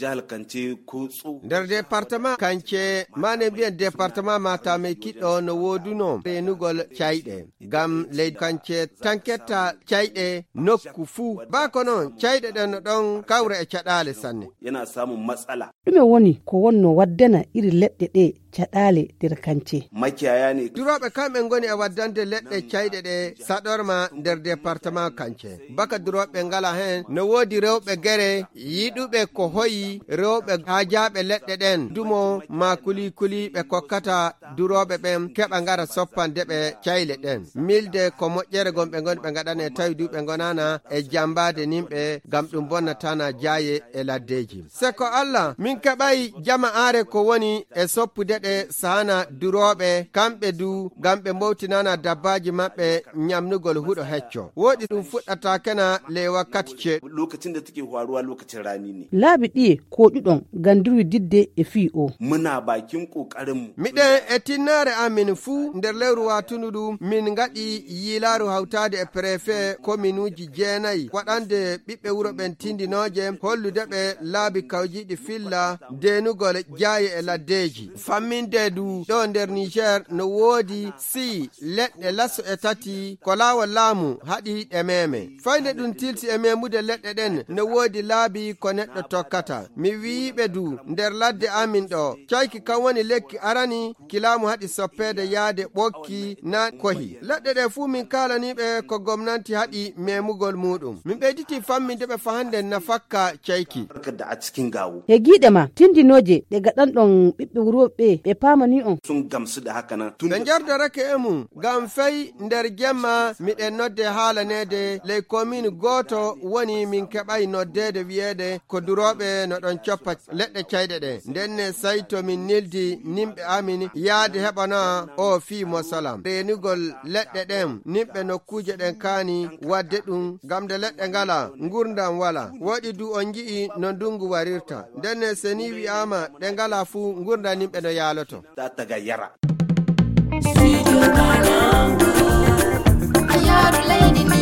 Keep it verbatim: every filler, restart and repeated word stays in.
Jahal Kance ko tso. Nder departement Kance, mane mbiyen departement Matamai kiɗɗo no woduno renugol cayɗe. Ngam leydi Kance tanketta cayɗe nokku fuu. Ba ko non, cayɗe ɗen no ɗon kawra e caɗaale sanne. Yana samun matsala. Ɗume woni ko wonno waddana iri leɗɗe ɗe caɗaale nder Kance? Makiyaya ne. Durooɓe kamɓe ngoni e waddande leɗɗe cayɗe ɗe saɗorma nder departement Kance. Baka durooɓe ngala heen, no woodi rewɓe gere yiɗuɓe ko hoyi, rewɓe haajaaɓe leɗɗe ɗen, dumo maa kuli kuli ɓe kokkata durooɓe ɓen keɓa ngara soppande ɓe cayle ɗen. Milde ko moƴƴere gon ɓe ngoni ɓe ngaɗane tawi du ɓe ngonaana e jambaade nimɓe ngam ɗum bonnatana jaaye e laddeeji. Se ko Allah, min keɓay jama aare ko woni e soppude ɗe sahana durooɓe, kamɓe du, ngam ɓe mbowtinana dabbaaji maɓɓe ñamnugol huɗo hecco. Woɗi ɗum fuɗɗata kena ley wakkati ceeɗu. Lokacin da take faruwa lokacin rani ne. Laabi ɗiye koɗuɗon ngam dirwididde e fii o? Muna bakin ƙoƙarinmu. Miɗen e tinnaare amin fuu nder lewru watundu ɗum, min ngaɗi yiilaaru hawtaade e prefe kominuuji jeenayi, waɗande ɓiɓɓe wuro ɓen tindinooje, hollude ɓe laabi kawjiiɗi filla deenugol jaaye e laddeeji. Famminde du ɗo nder Niger no woodi sii leɗɗe laso e tati ko laawol laamu haɗi ɗe meeme. Fayde ɗum tilsi e meemude leɗɗe ɗen no woodi laabi ko neɗɗo tokkata. Mi wi'iɓe du nder ladde amin ɗo, cayki kan woni lekki arani ki laamu haɗi soppeede yaade ɓokki na kohi. Leɗɗe ɗe fuu min kaalaniɓe ko gomnanti haɗi memugol muɗum. Min ɓeyditi famminde ɓe fahande nafakka cayki. Barka da a cikin gawo. He giiɗe ma, tindinooje ɗe gaɗanɗon ɓiɓɓe wuro ɓe, ɓe paamani on? Sun gamsu da haka nan. Tun ɓe njardarake e mum, ngam fey nder jemma miɗen nodde haalaneede ley komin gooto woni min keɓay noddeede wiyeede ko durooɓe no ɗon coppa leɗɗe cayɗe ɗe. Nden ne say to min nildi nimɓe amin yaade heɓana o fii mosalam. Reenugol leɗɗe ɗen, nimɓe nokkuuje ɗen kaani waɗde ɗum, ngam nde leɗɗe ngala, ngurndan wala. Woɗi du on ngi'i no ndungu warirta. Nden ne se ni wi'aama ɗe ngala fuu, ngurndan nimɓe no yaaloto. Ta tagayyara. Studio Banangu. A yaaru leydi ndi